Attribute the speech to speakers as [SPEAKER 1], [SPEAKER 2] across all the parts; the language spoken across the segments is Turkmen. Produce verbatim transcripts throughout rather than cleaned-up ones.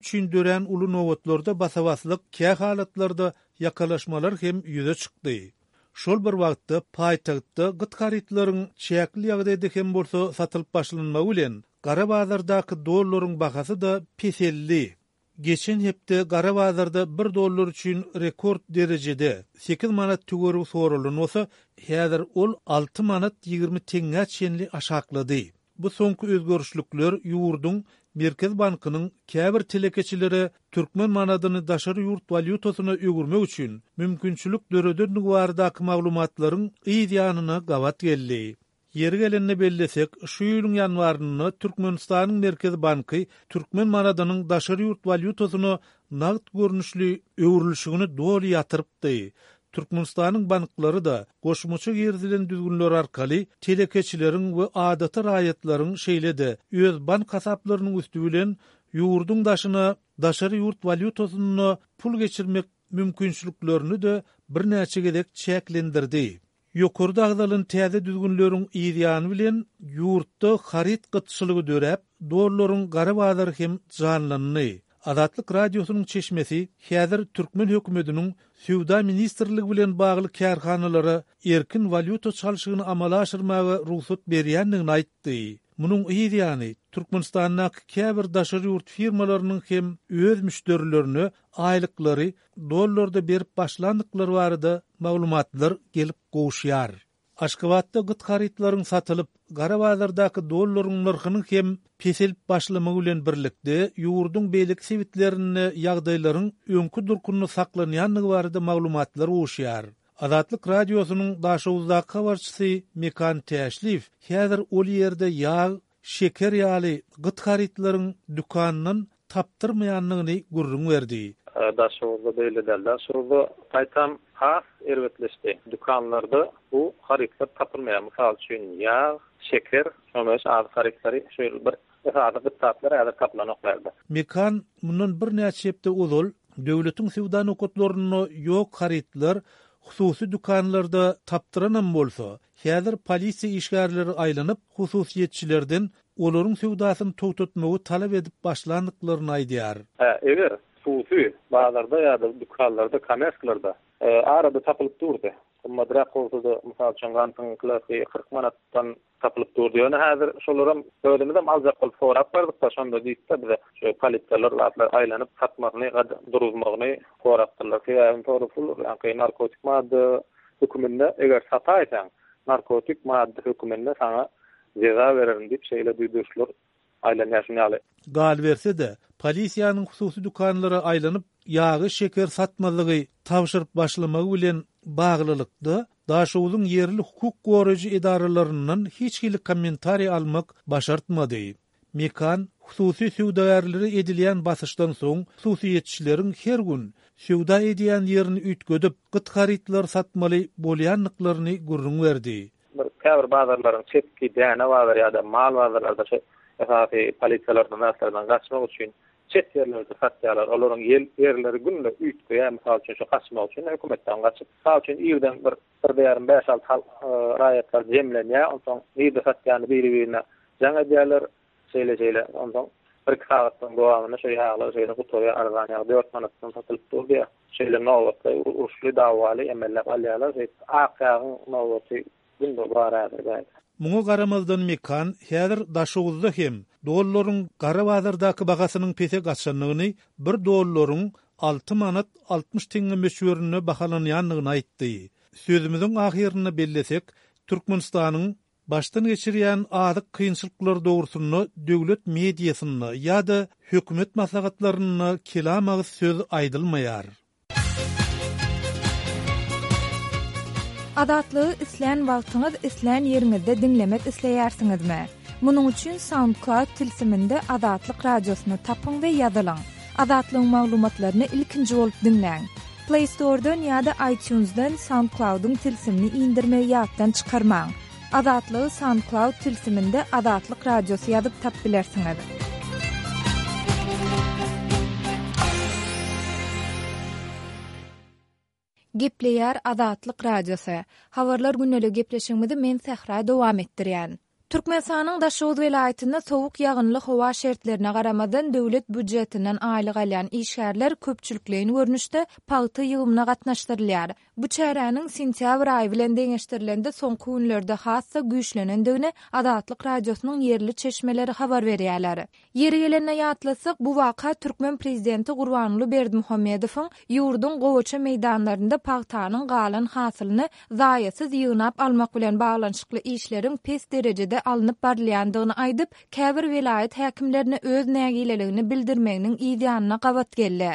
[SPEAKER 1] üçin dörän uly nobatlarda basa-baslyk, kähalatlarda ýakalaşmalar hem ýüze çykdy. Şol bir wagtda paýtagtda gyt harytlaryň çäkli ýagdaýda hem bolsa satylyp başlanmagy bilen, gara bazardaky dollaryň bahasy-da peseldi. Geçen hepde gara bazarda bir dollar üçin rekord derejede, sekiz manat töweregi soralan bolsa, häzir ol alty manat ýigrimi teňňä çenli aşaklady. Bu soňky özgerişlikler ýurduň Merkezi bankynyň käbir telekeçilere türkmen manadyny daşary ýurt walýutasyna öwürmek üçin mümkinçilik döredendigi baradaky maglumatlaryň yz ýanyna gabat geldi. Ýeri gelende bellesek, şu ýylyň ýanwarynda Türkmenistanyň Merkezi banky türkmen manadynyň daşary ýurt walýutasyna nagt görnüşli öwrülişigini doly ýatyrypdy. Türkmenistanyň banklary-da goşmaça girizilen düzgünler arkaly telekeçileriň we adaty raýatlaryň şeýle-de öz bank hasaplarynyň üsti bilen ýurduň daşyna daşary ýurt walýutasynda pul geçirmek mümkinçiliklerini-de birnäçe gezek çäklendirdi. Ýokarda agzalan täze düzgünleriň yz ýany bilen ýurtda haryt gytçylygy döräp, dollaryň gara bazary hem janlandy. Azatlyk Radiosynyň çeşmesi häzir türkmen hökümetiniň Söwda ministrligi bilen bagly kärhanalara erkin walýuta çalşygyny amala aşyrmaga rugsat berýändigini aýtdy. Munuň yz ýany, Türkmenistandaky käbir daşary ýurt firmalarynyň hem öz müşderilerine aýlyklary dollarda berip başlandyklary barada maglumatlar gelip gowuşýar. Aşgabatda gyt harytlaryň satylyp, gara bazardaky dollaryň nyrhynyň hem peselip başlamagy bilen birlikde, ýurduň beýleki sebitlerinde ýagdaýlaryň öňki durkunda saklanýandygy barada maglumatlar gowuşýar. Azatlyk Radiosynyň Daşoguzdaky habarçysy Mekan Täşliýew häzir ol ýerde ýag, şeker ýaly gyt harytlaryň dükandan tapdyrmaýandygyny gürrüň berdi.
[SPEAKER 2] Daşoguzda beýle däl. Daşoguzda gaýtam has erbetleşdi. Dükanlarda bu harytlar tapylmaýar. Mysal üçin, ýag, şeker, şonuň ýaly azyk harytlary şu ýyl bir esasy gyt zatlar häzir tapylanok bärde.
[SPEAKER 1] Mekan mundan birnäçe hepde ozal döwletiň söwda nokatlarynda ýok harytlar hususy dükanlarda tapdyranam bolsa, häzir polisiýa işgärleri aýlanyp, hususyýetçilerden olaryň söwdasyny togtatmagy talap edip başlandyklaryny aýdýar.
[SPEAKER 2] Hä, eger hususy bazarda ýa-da dükanlarda, kommersiýalarda, arada tapylyp durdy. Gymmatrak bolsa-da, mysal üçin, gantyň kilosy kyrk manatdan tapylyp durdy. Ýöne häzir şolaram özümizem aljak bolup sorap bardyk-da, şonda diýipdi bize şu polisiýalar zatlar aýlanyp satmasyny, duruzmagyny sorapdyrlar. Sebäbi sorapdyr, ýa-da narkotik madda höküminde eger sataýsaň, narkotik madda höküminde saňa jeza bererin diýip şeýle duýduryşlar aýlanýar şuny ýaly.
[SPEAKER 1] Galyberse-de, polisiýanyň hususy dükanlara aýlanyp, ýagy şeker satmazlygy tabşyryp başlamagy bilen baglylykda Daşoguzyň ýerli hukuk goraýjy edaralaryndan hiç hili kommentariý almak başartmady. Mekan hususy söwdagärlere edilýän basyşdan soň hususyýetçileriň her gün söwda edýän ýerini üýtgedip, gyt harytlar satmaly bolýandyklaryny gürrüň berdi.
[SPEAKER 2] Bir käbir bazarlaryň çetki däne bazary ýa-da mal bazarlarda şu esasy polisiýalardan zatlardan gaçmak üçin çet ýerlerde satýarlar. Olaryň ýerleri günde üýtgeýär. Mysal üçin, şu gaçmak üçin hökümetden gaçyp, mysal üçin, irden bir bir ýarym bäş alty halk, e, raýatlar jemlenýär. Onsoň nirde satýany biri-birine jaň edýärler. Şeýle şeýle. Onsoň bir iki sagatdan dowamynda şu ýaglar şeýle gutarýar, arzan ýag dört manatdan satylyp durdy. Şeýle nobatly, uruşly, dawaly emellep alýarlar. Şeýle ak ýagyň nobaty günde bar häzir bärde.
[SPEAKER 1] Muňa garamazdan Mekan häzir Daşoguzda hem dollaryň gara bazardaky bahasynyň pese gaçandygyny, bir dollaryň alty manat altmyş teňňe möçberinde bahalanýandygyny aýtdy. Sözümiziň ahyrynda bellesek, Türkmenistanyň başdan geçirýän azyk kynçylyklary dogrusynda döwlet mediasynda ýa-da hökümet maslahatlarynda kelam agyz söz aýdylmaýar.
[SPEAKER 3] Azatlygy islän wagtyňyz, islän ýeriňizde diňlemek isleýärsiňizmi? Munuň üçin SoundCloud tilsiminde Azatlyk radiosyny tapyň we ýazylyň. Azatlygyň maglumatlaryny ilkinji bolup diňläň. Play Store'dan ýa-da iTunes'dan SoundCloud'yň tilsimini indirmegi ýatdan çykarmaň. Azatlygy SoundCloud tilsiminde Azatlyk radiosy ýazyp tap bilersiňiz. Gepleýär Azatlyk radiosy. Habarlar gündelik gepleşigimizi men Sähra dowam etdirýän. Türkmenistanyň Daşoguz welaýatynda sowuk ýagynly howa şertlerine garamazdan döwlet býujetinden aýlyk alýan işgärler köpçülikleýin görnüşde pagta ýygymyna gatnaşdyrylýar. Bu çäräniň sentýabr aýy bilen deňeşdirilende soňky günlerde has-da güýçlenendigini Azatlyk Radiosynyň ýerli çeşmeleri habar berýärler. Ýeri gelende ýatlatsak, bu waka türkmen prezidenti Gurbanguly Berdimuhamedowyň ýurduň gowaça meýdanlarynda pagtanyň galan hasylyny zaýasyz ýygnap almak bilen baglanyşykly işleriň pes derejede alnyp barylýandygyny aýdyp, käbir welaýat häkimlerine öz nägileligini bildirmeginiň yz ýanyna gabat geldi.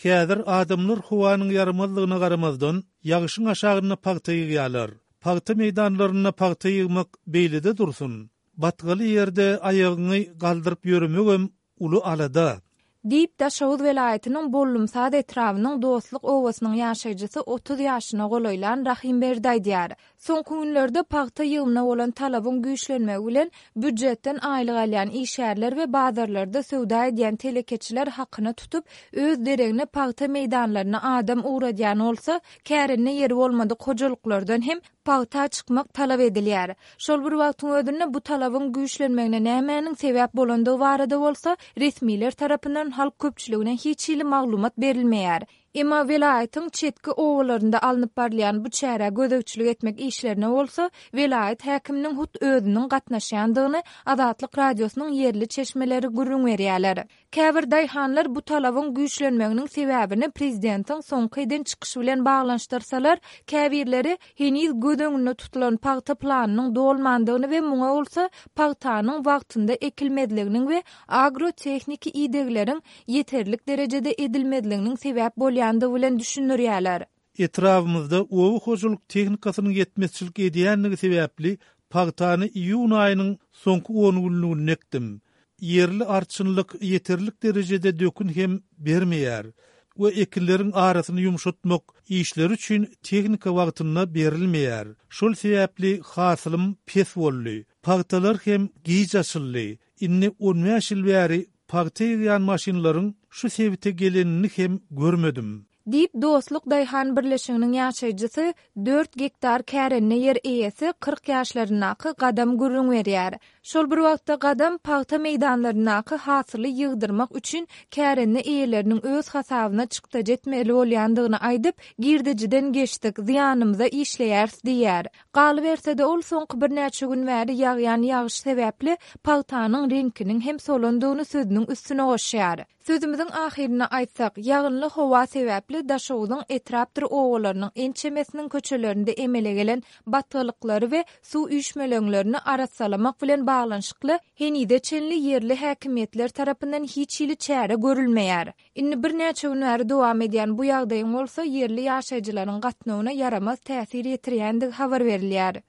[SPEAKER 1] Häzir adamlar howanyň ýaramazlygyna garamazdan, ýagyşyň aşagynda pagta ýygýarlar. Pagta meýdanlarynda pagta ýygmak beýlede dursun, batgaly ýerde aýagyňy galdyryp ýöremegem uly alada.
[SPEAKER 3] Diýip, Daşoguz welaýatynyň Bollumsaz etrabynyň Dostluk obasynyň ýaşaýjysy otuz ýaşyna golaýlan Rahymberdi aýdýar. Soňky günlerde pagta ýygymyna bolan talabyň güýçlenmegi bilen býujetden aýlyk alýan işgärler we bazarlarda söwda edýän telekeçiler hakyna tutup, öz deregine pagta meýdanlaryna adam ugradýan bolsa, kärende ýeri bolmadyk hojalyklardan hem pagta çykmak talap edilýär. Şol bir wagtyň özünde bu talabyň güýçlenmegine nämäniň sebäp bolandygy barada bolsa resmiler tarapyndan halk köpçüligine hiç hili maglumat berilmeýär. Emma welaýatyň çetki obalarynda alnyp barylýan bu çärä gözegçilik etmek işlerine bolsa welaýat häkiminiň hut özüniň gatnaşýandygyny Azatlyk Radiosynyň ýerli çeşmeleri gürrüň berýärler. Käbir daýhanlar bu talabyň güýçlenmeginiň sebäbini prezidentiň soňky eden çykyşy bilen baglanyşdyrsalar, käbirleri heniz göz öňünde tutulan pagta planynyň dolmandygyny we muňa bolsa pagtanyň wagtynda ekilmezliginiň we agrotehniki idegleriň ýeterlik derejede edilmezliginiň sebäp bolýandygy bilen düşündirýärler.
[SPEAKER 1] Etrabymyzda oba hojalyk tehnikasynyň ýetmezçilik edýändigi sebäpli pagtany iýun aýynyň soňky on günlüginde ekdim. Ýerli arçynlyk ýeterlik derejede dökün hem bermeýär we ekinleriň arasyny ýumşatmak işleri üçin tehnika wagtynda berilmeýär. Şol sebäpli hasylym pes boldy. Pagtalar hem giç açyldy. Indi on bäş ýyl bäri pagta ýygýan maşynlaryň şu sebite gelenini hem görmedim.
[SPEAKER 3] Diýip, Dostluk daýhan birleşiginiň ýaşaýjysy dört gektar kärende ýer eýesi kyrk ýaşlaryndaky Gadam gürrüň berýär. Şol bir wagtda Gadam pagta meýdanlaryndaky hasyly ýygdyrmak üçin kärende eýeleriniň öz hasabyna çykdajy etmeli bolýandygyny aýdyp, girdejiden geçdik, zyýanymyza işleýäris diýýär. Galyberse-de ol soňky birnäçe gün bäri ýagýan ýagyş sebäpli pagtanyň reňkiniň hem solandygyny sözüniň üstüne goşýar. Sözümiziň ahyrynda aýtsak, ýagynly howa sebäpli Daşoguzyň etrapdyr obalarynyň ençemesiniň köçelerinde emele gelen batgalyklary we suw üýşmeleňlerini arassalamak bilen baglanyşykly henize çenli ýerli häkimiýetler tarapyndan hiç hili çäre görülmeýär. Indi birnäçe gün bäri dowam edýän bu ýagdaýyň bolsa ýerli ýaşaýjylaryň gatnawyna ýaramaz täsir ýetirýändigi habar berilýär.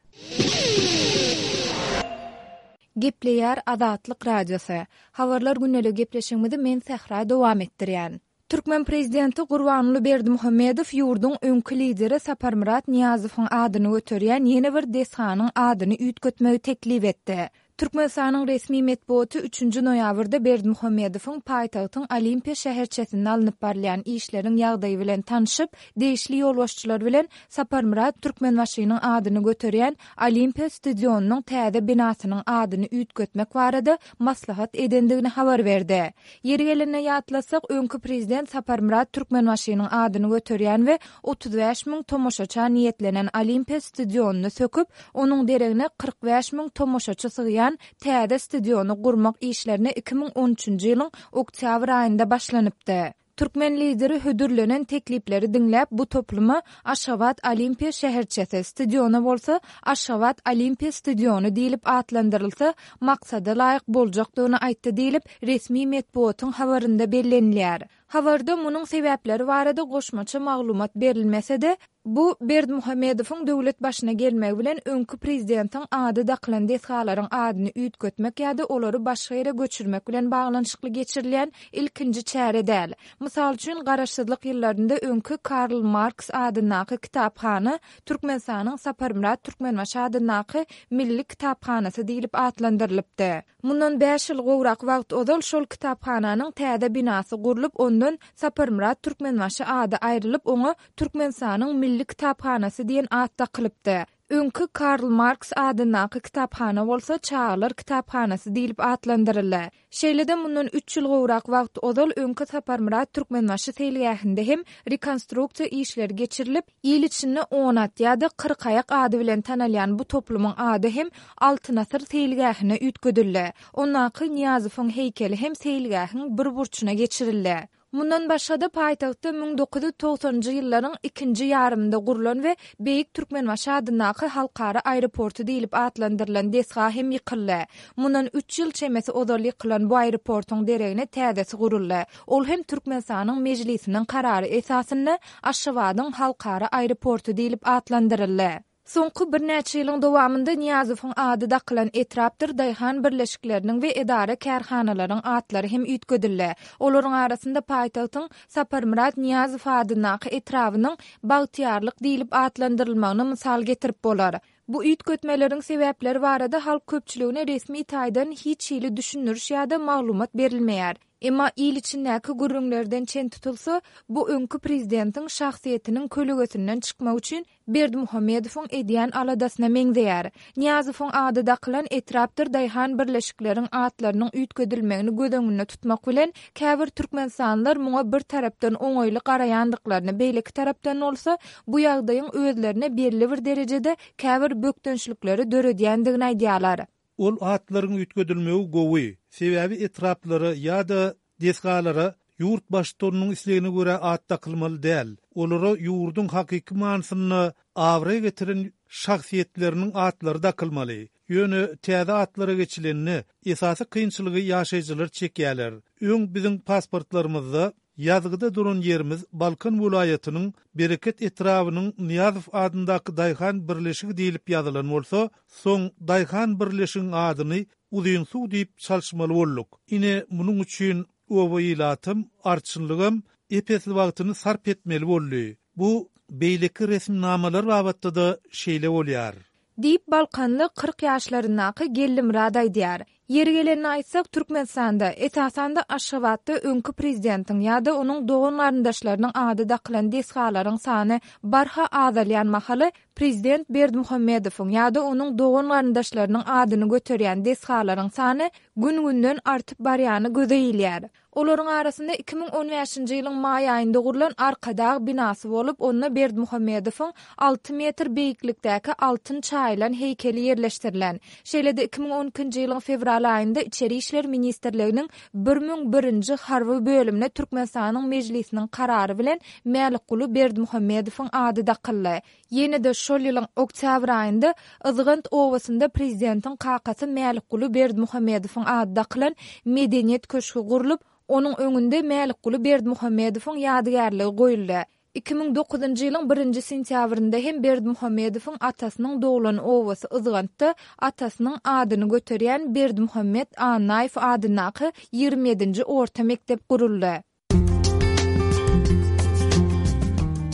[SPEAKER 3] Gepleýär Azatlyk Radiosy. Habarlar gündelik gepleşigimizi men Sähra dowam etdirýän. Türkmen prezidenti Gurbanguly Berdimuhamedow ýurduň öňki lideri Saparmyrat Nyýazowyň adyny göterýän ýene bir desganyň adyny üýtgetmegi teklip etdi. Türkmenistanyň resmi metbugaty üçünji noýabrda Berdimuhamedowyň paýtagtyň Olimpiýa şäherçesinde alnyp barylýan işleriň ýagdaýy bilen tanşyp, degişli ýolbaşçylar bilen Saparmyrat Türkmenbaşynyň adyny göterýän Olimpiýa stadionynyň täze binasynyň adyny üýtgetmek barada maslahat edendigini habar berdi. Ýeri gelende ýatlasak, öňki prezident Saparmyrat Türkmenbaşynyň adyny göterýän we otuz bäş müň tomaşaça niýetlenen Olimpiýa stadionyny söküp, onuň deregine kyrk bäş müň tomaşaçy sygýan täze stadiony gurmak işlerine iki müň on üçünji ýylyň oktýabr aýynda başlanypdy. Türkmen lideri hödürlenen teklipleri diňläp, bu topluma Aşgabat Olimpiýa şäherçesi, stadiona bolsa Aşgabat Olimpiýa stadiony diýlip atlandyrylsa, maksada laýyk boljakdygyny aýtdy diýlip, resmi metbugatyň habarynda bellenilýär. Habarda munuň sebäpleri barada goşmaça maglumat berilmese-de, bu Berdimuhamedowyň döwlet başyna gelmegi bilen öňki prezidentiň ady dakylan desgalaryň adyny üýtgetmek ýa-da olary başga ýere göçürmek bilen baglanyşykly geçirilýän ilkinji çäre däl. Mysal üçin, garaşsyzlyk ýyllarynda öňki Karl Marks adyndaky kitaphana Türkmenistanyň Saparmyrat Türkmenbaşy adyndaky Milli kitaphanasy diýlip atlandyrylypdy. Mundan bäş ýyl gowrak wagt ozal şol kitaphananyň täze binasy gurlup, ondan Saparmyrat Türkmenbaşy ady aýrylyp, oňa Türkmenistanyň Milli kitaphanasy diýen at dakylypdy. Öňki Karl Marks adyndaky kitaphana bolsa Çagalar kitaphanasy diýlip atlandyryldy. Şeýle-de mundan üç ýyl gowrak wagt ozal öňki Saparmyrat Türkmenbaşy seýilgähinde hem rekonstruksiýa işleri geçirilip, il içinde On at ýa-da Kyrkaýak ady bilen tanalýan bu toplumyň ady hem Altyn asyr seýilgähine üýtgedildi. Ondaky Nyýazowyň heýkeli hem seýilgähiň bir burçuna geçirildi. Mundan başga-da, paýtagtda müň dokuz ýüz togsanynjy ýyllaryň ikinji ýarymynda gurlan we Beýik Türkmenbaşy adyndaky halkara aeroporty diýlip atlandyrylan desga hem ýykyldy. Mundan üç ýyl çemesi ozal ýykylan bu aeroportuň deregine täzesi guruldy. Ol hem Türkmenistanyň Mejlisiniň karary esasynda Aşgabadyň halkara aeroporty diýlip atlandyryldy. Soňky birnäçe ýylyň dowamynda Nyýazowyň ady dakylan etrapdyr daýhan birleşikleriniň we edara-kärhanalaryň atlary hem üýtgedildi. Olaryň arasynda paýtagtyň Saparmyrat Nyýazow adyndaky etrabynyň Bagtyýarlyk diýlip atlandyrylmagyny mysal getirip bolar. Bu üýtgetmeleriň sebäpleri barada halk köpçüligine resmi taýdan hiç hili düşündiriş ýa-da maglumat berilmeýär. Emma il içindäki gürrüňlerden çen tutulsa, bu öňki prezidentiň şahsyýetiniň kölegesinden çykmak üçin Berdimuhamedowyň edýän aladasyna meňzeýär. Nyýazowyň ady dakylan etrapdyr daýhan birleşikleriň atlarynyň üýtgedilmegini göz öňünde tutmak bilen, käbir türkmenistanlylar muňa bir tarapdan oňaýly garaýandyklaryny, beýleki tarapdan bolsa, bu ýagdaýyň özlerine belli bir derejede käbir bökdençlikleri döredýändigini aýdýarlar.
[SPEAKER 1] Ol atlaryň üýtgedilmegi gowy, sebäbi etraplara ýa-da desgalara ýurt baştutanynyň islegine görä at dakylmaly däl, olara ýurduň hakyky manysynda abraý getiren şahsyýetleriniň atlary dakylmaly. Ýöne täze atlara geçilende, esasy kynçylygy ýaşaýjylar çekýärler. Öň biziň pasportlarymyzda Ýazgyda duran ýerimiz Balkan welaýatynyň Bereket etrabynyň Nyýazow adyndaky daýhan birleşigi diýlip ýazylan bolsa, soň daýhan birleşigiň adyny Uzynsuw diýip çalyşmaly bolduk. Ine, munuň üçin oba ilatam, arçynlygam ep-esli wagtyny sarp etmeli boldy. Bu beýleki resminamalar babatda-da şeýle bolýar.
[SPEAKER 3] Diýip, balkanly kyrk ýaşlaryndaky Geldimyrat aýdýar. Ýeri gelende aýtsak, Türkmenistanda, esasan-da Aşgabatda öňki prezidentiň ýa-da onuň dogan-garyndaşlarynyň ady dakylan desgalaryň sany barha azalýan mahaly, prezident Berdimuhamedowyň ýa-da onuň dogan-garyndaşlarynyň adyny göterýän desgalaryň sany gün-günden artyp barýany göze ilýär. Olaryň arasynda iki müň on bäşinji ýylyň maý aýynda gurlan Arkadag binasy bolup, onda Berdimuhamedowyň alty metr beýiklikdäki altyn çaýylan heýkeli ýerleşdirilen. Şeýle-de iki müň on ikinji ýylyň fewral aýynda Içeri işler ministrliginiň bir müň birinji harby bölümine Türkmenistanyň Mejlisiniň karary bilen Mälikguly Berdimuhamedowyň ady dakyldy. Ýene-de şol ýylyň oktýabr aýynda Yzgant obasynda prezidentiň kakasy Mälikguly Berdimuhamedowyň ady dakylan Medeniýet köşgi gurlup, onuň öňünde Mälikguly Berdimuhamedowyň ýadygärligi goýuldy. Iki müň dokuzynjy ýylyň birinji sentýabrynda hem Berdimuhamedowyň atasynyň doglan obasy Yzgantda atasynyň adyny göterýän Berdimuhamet Annaýew adyndaky ýigrimi ýedinji orta mekdep guruldy.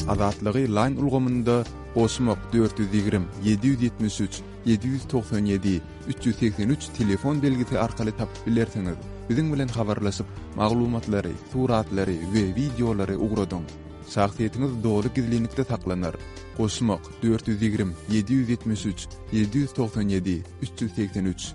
[SPEAKER 4] Azatlygy Line ulgamynda goşmak dört ýüz ýigrimi, ýedi ýüz ýetmiş üç, ýedi ýüz togsan ýedi, üç ýüz segsen üç telefon belgisi arkaly tapyp bilersiňiz. Biziň bilen habarlaşyp, maglumatlary, suratlary we wideolary ugradyň. Şahsyýetiňiz doly gizlinlikde saklanar. Goşmak dört ýüz ýigrimi, ýedi ýüz ýetmiş üç, ýedi ýüz togsan ýedi, üç ýüz segsen üç.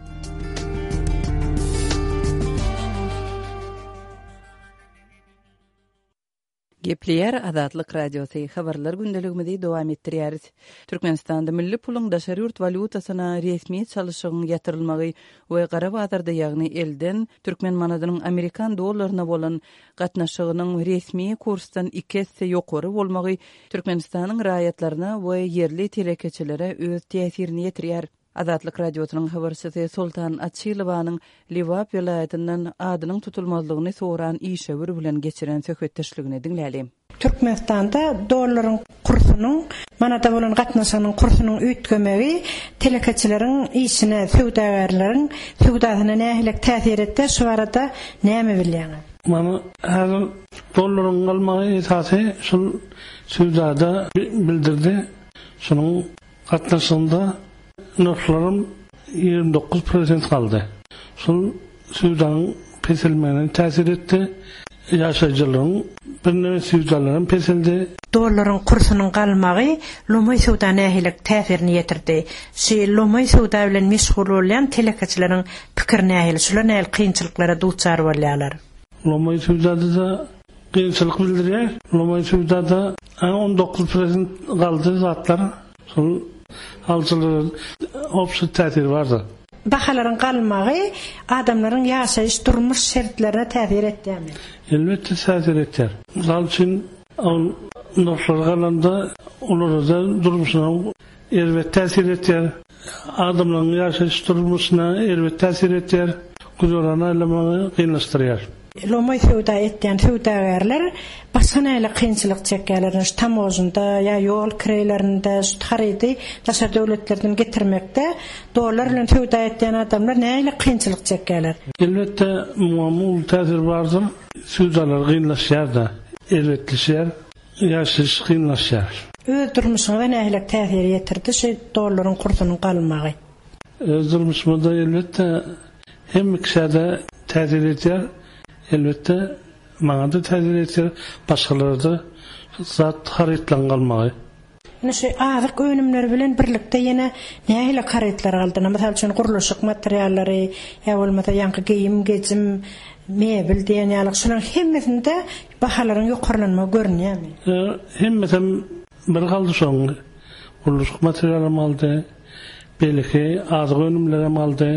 [SPEAKER 5] Gepleýär Azatlyk Radiosy, habarlar gündeligimizi dowam etdirýäris. Türkmenistanda milli puluň daşary ýurt walýutasyna resmi çalyşygyň ýatyrylmagy we gara bazarda, ýagny elden türkmen manadynyň amerikan dollaryna bolan gatnaşygynyň resmi kursdan iki esse ýokary bolmagy Türkmenistanyň raýatlaryna we ýerli telekeçilere öz täsirini ýetirýär. Azatlyk Radiosynyň habarçysy Soltan Açylowanyň Lebap welaýatyndan adynyň tutulmazlygyny soran işewür bilen geçiren söhbetdeşligini diňläli.
[SPEAKER 6] Türkmenistanda dollaryň kursunyň, manada bolan gatnaşygynyň kursunyň üýtgemegi telekeçileriň işine, söwdagärleriň söwdasyna nähili täsir etdi, şu barada näme bilýäňiz?
[SPEAKER 7] Mana häzir dollaryň galmagy esasy şul söwdada bildirdi. Şunuň gatnaşygynda nyrhlarym ýigrimi dokuz prosent galdy. Şul söwdanyň peselmegine täsir etdi. Ýaşaýjylaryň birneme söwdalaram peseldi.
[SPEAKER 6] Dollaryň kursunyň galmagy lomaý söwda nähili täsirini ýetirdi? Şu lomaý söwda bilen meşgul bolýan telekeçileriň pikiri nähili? Şular nähili kynçylyklara duçar bolýarlar?
[SPEAKER 7] Lomaý söwdada-da kynçylyk bildirýär. Lomaý söwdada on dokuz prosent galdy zatlar. Şol alyjylara obşy täsiri bardy.
[SPEAKER 6] Bahalaryň galmagy adamlaryň ýaşaýyş durmuş şertlerine täsir etýärmi?
[SPEAKER 7] Elbetde täsir etýär. Mysal üçin, ol nyrhlar galanda olara da durmuşyna erbet täsir etýär. Adamlaryň ýaşaýyş durmuşyna erbet täsir etýär. Güzeran aýlamagy kynlaşdyrýar.
[SPEAKER 6] Lomaý söwda etýän söwdagärler başga nähili kynçylyk çekýärler? Şu tamojunda ýa ýol kireýlerinde şu harydy daşary döwletlerden getirmekde dollar bilen söwda etýän adamlar nähili kynçylyk çekýärler?
[SPEAKER 7] Elbetde muňa uly täsir bardyr. Söwdalar kynlaşýar da, erbetleşýär, ýaşaýyş kynlaşýar.
[SPEAKER 6] Öz durmuşyňyza nähili täsir ýetirdi şu dollaryň kursunyň galmagy?
[SPEAKER 7] Öz durmuşymyzda elbetde hem kişide täsir etýär. Elbetde maňa da täsir etýär, başgalara da zat harytlaryň galmagy.
[SPEAKER 6] Ine şu azyk önümleri bilen birlikde ýene nähili harytlar galdy? Mysal üçin gurluşyk materiallary, ýa bolmasa ýaňky geýim, gejim, mebel diýen ýaly şularyň hemmesinde bahalaryň ýokarlanmagy görünýärmi?
[SPEAKER 7] E, hemmesi bir galdy şoň. Gurluşyk materiallam galdy, beýleki azyk önümlerem galdy.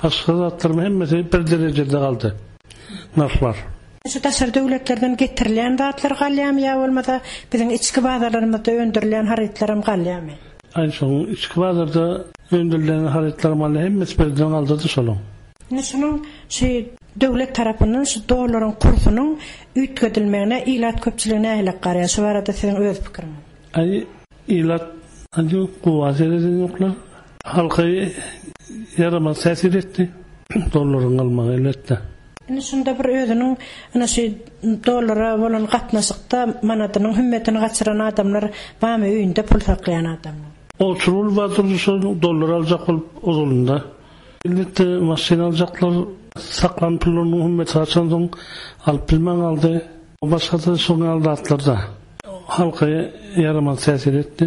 [SPEAKER 7] Başga zatlaryň hemmesi bir derejede galdy. Nyrhlar.
[SPEAKER 6] Şu daşary döwletlerden getirilýän zatlar galýarmy ýa bolmasa biziň içki bazarlarymyzda öndürilýän harytlaram galýarmy?
[SPEAKER 7] Aý, şoň içki bazarda öndürilýän harytlar galýar, hemmesi birden galdy şonuň.
[SPEAKER 6] Ine şunuň şu döwlet tarapyndan şu dollaryň kursunyň üýtgedilmegine ilat köpçüligi nähili garaýar? Şu barada siziň öz pikiriňiz.
[SPEAKER 7] Aý, ilat aý gowy sereden ýoklar. Halka ýaramaz täsir etdi. Dollaryň galmagy elbetde.
[SPEAKER 6] Ine şunda bir özüniň ine şu dollara bolan gatnaşykda manadynyň hümmetini gaçyran adamlar barmy öýünde pul saklaýan adamlar?
[SPEAKER 7] Oturul bardyr şu dollar aljak bolup ozalynda. Elbetde maşyn aljaklar saklan pullarynyň hümmeti gaçansoň alyp bilmän galdy. Başga da şoň ýaly zatlar da halka ýaramaz täsir etdi.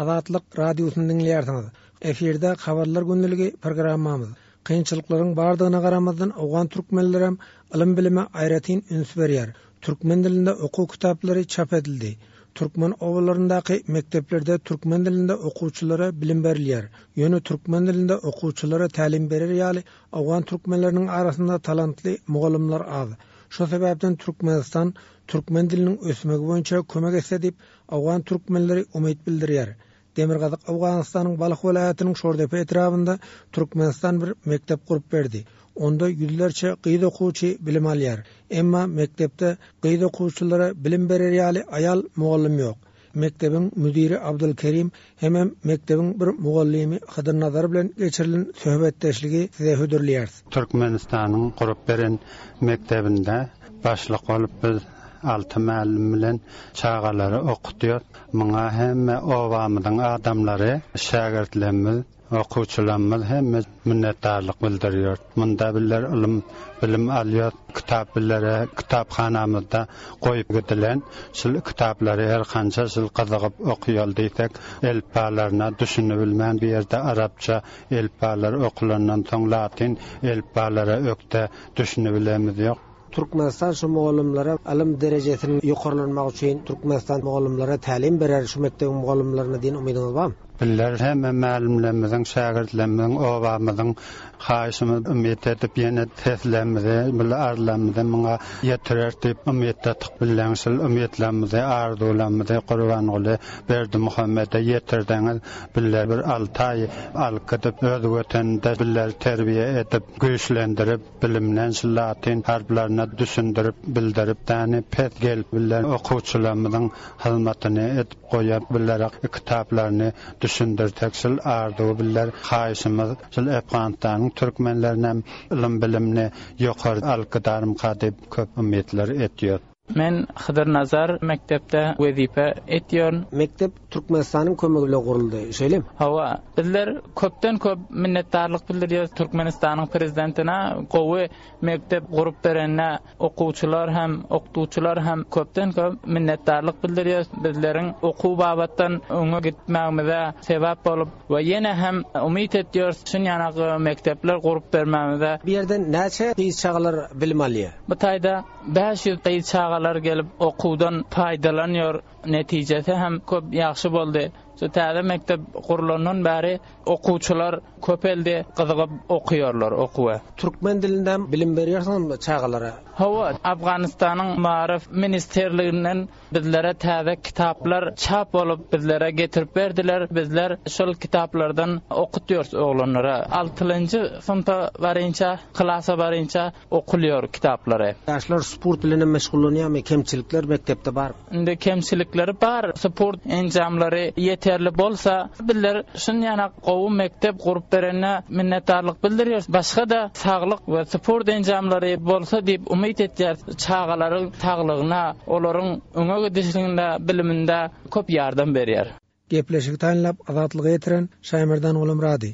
[SPEAKER 8] Azatlyk radiosyny diňleýärsiňiz. Efirde habarlar gündeligi programmamyz. Kynçylyklaryň bardygyna garamazdan Owgan türkmenlerem ylym bilime aýratyn üns berýär. Türkmen dilinde okuw kitaplary çap edildi. Türkmen obalaryndaky mekdeplerde türkmen dilinde okuwçylara bilim berilýär. Ýöne türkmen dilinde okuwçylara tälim berer ýaly Owgan türkmenleriniň arasynda talantly mugallymlar az. Şu sebäpden Türkmenistan türkmen diliniň ösmegi boýunça kömek etse diýip Owgan türkmenleri umyt bildirýär. Demirgazyk Owganystanyň Balh welaýatynyň Şordepe etrabynda Türkmenistan bir mekdep gurup berdi. Onda ýüzlerçe gyz okuwçy bilim alýar. Emma mekdepde gyz okuwçylara bilim berer ýaly aýal mugallym ýok. Mekdebiň müdiri Abdulkerim hemem mekdebiň bir mugallymy Hydyr Nazar bilen geçirilen söhbetdeşligi size hödürleýäris.
[SPEAKER 9] Türkmenistanyň gurup beren mekdebinde başlyk bolup biz alty mälim bilen çagalary okutýar. Muňa hemme obamyzyň adamlary, şägirtlerimiz, okuwçylarymyz hemme minnetdarlyk bildirýär. Munda bizler ylym, bilim alýar, kitap bizlere kitaphanamyzda goýup gidilen şul kitaplary her kança şul gyzygyp okuýal diýsek, elpbalaryna düşünip bilmän bir ýerde arapça elpbalar okulandan soň latyn elpbalara ökde düşünip bilemiz ýok.
[SPEAKER 8] Türkmenistan şu mugallymlara ylym derejesiniň ýokarlanmagy üçin Türkmenistan mugallymlara tälim berer şu mekdebiň mugallymlaryna diýen umydyňyz barmy?
[SPEAKER 9] Bizler hemme mälimlerimiziň, şägirtlerimiziň, obamyzyň haýyşymyz umyt edip ýene seslerimizi, bile arzularymyzy muňa ýetirer diýip umyt etdik. Bilen şul umytlarymyzy, arzularymyzy Gurbanguly Berdimuhamede ýetirdiňiz. Bizler bir alty aý alyp gidip öz weteninde bizleri terbiýe edip, güýçlendirip, bilimden şul latyn harplaryna düşündirip, bildirip, däni pes gelip bizler okuwçylarymyzyň hyzmatyny edip goýup bizlere kitaplaryny düşündirtek şul arzuw bizler haýyşymyz şul Afganistanyň türkmenlerine ylym bilimini ýokary alyp gidarmyka diýip köp umytlar etýär.
[SPEAKER 10] Men Hydyr Nazar mekdepde wezipe etýärin.
[SPEAKER 8] Mekdep Türkmenistanyň kömegi bilen guruldy, şeýlemi?
[SPEAKER 10] Hawa, bizler köpden köp minnetdarlyk bildirýäris Türkmenistanyň prezidentine gowy mekdep gurup berenine okuwçylar hem, okuwçylar hem köpden köp minnetdarlyk bildirýäris. Bizleriň okuw babatdan öňe gitmegimize sebäp bolup we ýene hem umyt etýäris şun ýaly mekdepler gurup bermegimize.
[SPEAKER 8] Bu ýerden näçe gyz çagalar bilim alýar?
[SPEAKER 10] Bu taýda bäş ýüz gyz çagalar gelip okuwdan paýdalanýar. Netijesi hem köp ýagşy boldy. Şu täze mekdep gurulandan bäri okuwçylar köpeldi, gyzygyp okuýarlar okuwa.
[SPEAKER 8] Türkmen dilinde bilim berýärsiňizmi çagalara?
[SPEAKER 10] Hawa, Afganistanyň Maarif ministrliginden bizlere täze kitaplar çap bolup bizlere getirip berdiler. Bizler şol kitaplardan okutýarys oglanlara. Altynjy synpa barynça, klasa barynça okulýar kitaplary.
[SPEAKER 8] Ýaşlar sport bilen hem meşgullanýarmy? Kemçilikler mekdepde bar.
[SPEAKER 10] Indi kemçilikleri bar. Sport enjamlary ýeterli bolsa, bizler şun ýana gowy mekdep gurup berenine minnetdarlyk bildirýäris. Başga da saglyk we sport enjamlary bolsa diýip umyt etýäris. Çagalaryň saglygyna, olaryň öňe gidişinde, biliminde köp ýardam berýär.
[SPEAKER 8] Gepleşigi taýynlap Azatlyga ýetiren Şaýmerdan Gulumrady.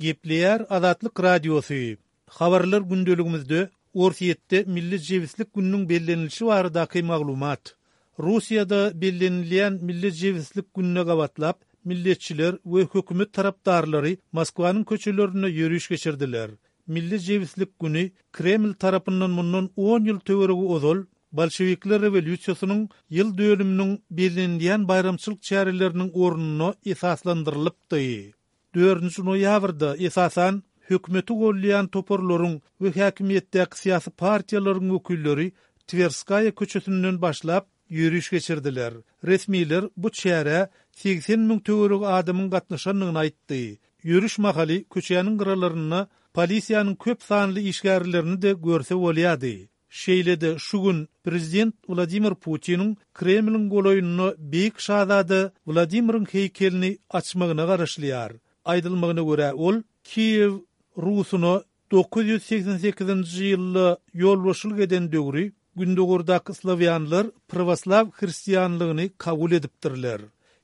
[SPEAKER 1] Gepleýär Azatlyk Radiosy. Habarlar gündeligimizde Orsýetde Milli jebislik gününiň bellenilişi baradaky maglumat. Russiýada bellenilýän Milli jebislik gününe gabatlap, milletçiler we hökümet tarapdarlary Moskwanyň köçelerinde ýöriş geçirdiler. Milli jebislik günü Kreml tarapyndan mundan on ýyl töweregi ozal Bolşevikler rewolýusiýasynyň ýyl dönüminiň bellenilýän baýramçylyk çäreleriniň ornuna esaslandyrylypdy. Dördünji noýabrda esasan hökümeti golýan toparlaryň we häkimiýetdäki syýasy partiýalaryň wekilleri Twerskaýa köçesinden başlap ýöriş geçirdiler. Resmiler bu çärä seksen müň töweregi adamyň gatnaşandygyny aýtdy. Ýöriş mahaly köçäniň gyralarynda polisiýanyň köp sanly işgärlerini de görse bolýardy. Şeýle-de şu gün prezident Wladimir Putiniň Kremliň golaýynda Beýik Şazada Wladimiriň heýkelini açmagyna garaşylýar. Aýdylmagyna görä ol Kiýew Rusuna dokuz ýüz seksen sekizinji ýylda ýolbaşçylyk eden döwri Gündogardaky slawýanlar pravoslav hristianlygyny kabul edipdirler.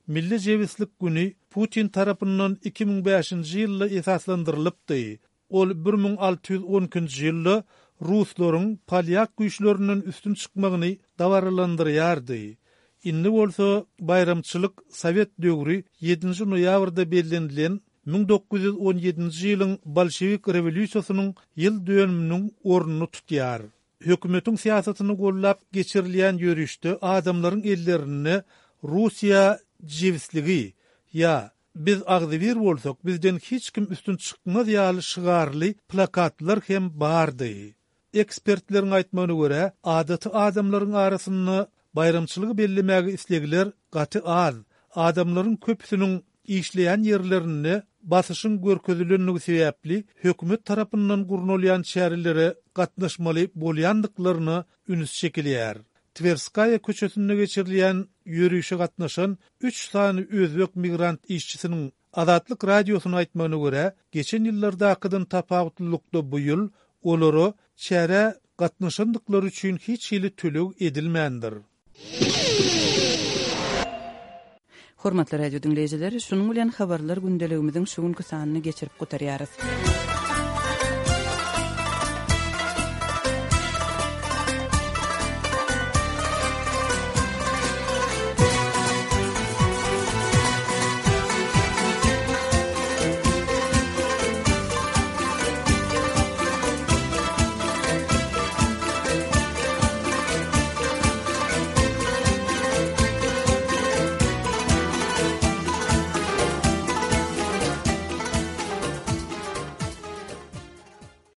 [SPEAKER 1] Milli jebislik günü Putin tarapyndan iki müň bäşinji ýylda esaslandyrylypdy. Ol bir müň alty ýüz on ikinji ýylda Ruslaryň polyak güýçlerinden üstün çykmagyny dabaralandyrýardy. Indi bolsa baýramçylyk Sowet döwri ýedinji noýabrda bellenilen müň dokuz ýüz on ýedinji ýylyň Bolşewik rewolýusiýasynyň ýyl dönüminiň ornuny tutýar. Hökümetiň syýasatyny gollap geçirilýän ýörişde adamlaryň ellerinde Russiýa jebisligi ýa biz agzybir bolsak bizden hiç kim üstün çykmaz ýaly şygarly plakatlar hem bardy. Ekspertleriň aýtmagyna görä, adaty adamlaryň arasynda baýramçylygy bellemäge islegler gaty az. Adamlaryň köpüsiniň işleýän ýerlerinde basyşyň görkezilendigi sebäpli hökümet tarapyndan gurnalýan çärelere gatnaşmaly bolýandyklaryna üns çekilýär. Twerskaýa köçesinde geçirilýän ýörişe gatnaşan üç sany özbek migrant işçisiniň Azatlyk radiosyna aýtmagyna görä, geçen ýyllardakydan tapawutlylykda bu ýyl olara çärä gatnaşandyklary üçin hiç hili töleg edilmändir.
[SPEAKER 5] Hormatly radio dinleýjiler, şunuň bilen habarlar gündeligimiziň şu günki sanyny geçirip gutarýarys.